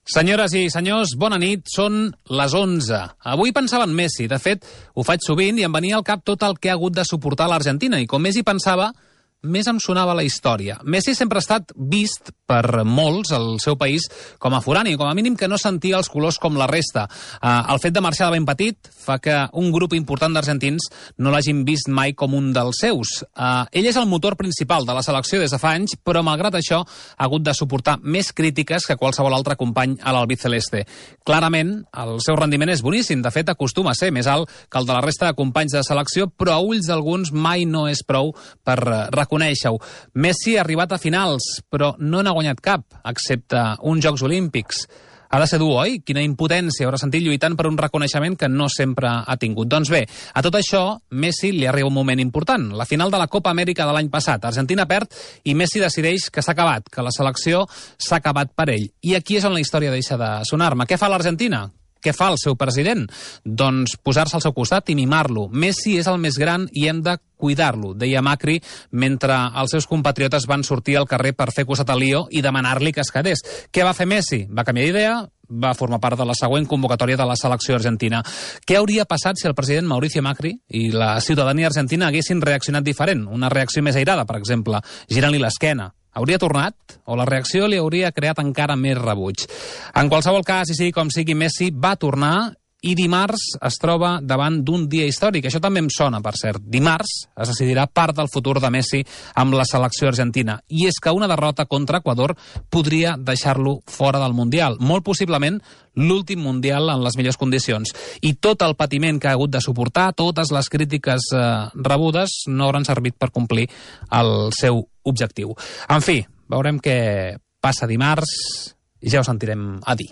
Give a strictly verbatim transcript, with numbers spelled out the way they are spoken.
Senyores i senyors, bona nit, són les onze. Avui pensava en Messi, de fet, ho faig sovint i em venia al cap tot el que ha hagut de suportar l'Argentina, i com més hi pensava, més em sonava la història. Messi sempre ha estat vist per molts al seu país com a forani, com a mínim que no sentia els colors com la resta. Eh, el fet de marxar de ben petit fa que un grup important d'argentins no l'hagin vist mai com un dels seus. Eh, ell és el motor principal de la selecció des de fa anys, però malgrat això ha hagut de suportar més crítiques que qualsevol altre company a l'albiceleste. Clarament, el seu rendiment és boníssim, de fet acostuma a ser més alt que el de la resta de companys de selecció, però a ulls d'alguns mai no és prou per reconèixer-ho. Messi ha arribat a finals, però no n'ha guanyat cap, excepte uns Jocs Olímpics. Ha de ser dur, oi? Quina impotència haurà sentit lluitant per un reconeixement que no sempre ha tingut. Doncs bé, a tot això, Messi li arriba un moment important. La final de la Copa Amèrica de l'any passat. Argentina perd i Messi decideix que s'ha acabat, que la selecció s'ha acabat per ell. I aquí és on la història deixa de sonar-me. Què fa l'Argentina? Què fa el seu president? Doncs posar-se al seu costat i mimar-lo. Messi és el més gran i hem de cuidar-lo, deia Macri, mentre els seus compatriotes van sortir al carrer per fer costat a Lío i demanar-li que es quedés. Què va fer Messi? Va canviar d'idea, va formar part de la següent convocatòria de la selecció argentina. Què hauria passat si el president Mauricio Macri i la ciutadania argentina haguessin reaccionat diferent? Una reacció més airada, per exemple, girant-li l'esquena. Hauria tornat? O la reacció li hauria creat encara més rebuig? En qualsevol cas, i sigui com sigui, Messi va tornar i dimarts es troba davant d'un dia històric. Això també em sona, per cert. Dimarts es decidirà part del futur de Messi amb la selecció argentina. I és que una derrota contra Equador podria deixar-lo fora del Mundial. Molt possiblement l'últim Mundial en les millors condicions. I tot el patiment que ha hagut de suportar, totes les crítiques eh, rebudes, no hauran servit per complir el seu objectiu. En fi, veurem què passa dimarts i ja ho sentirem a dir.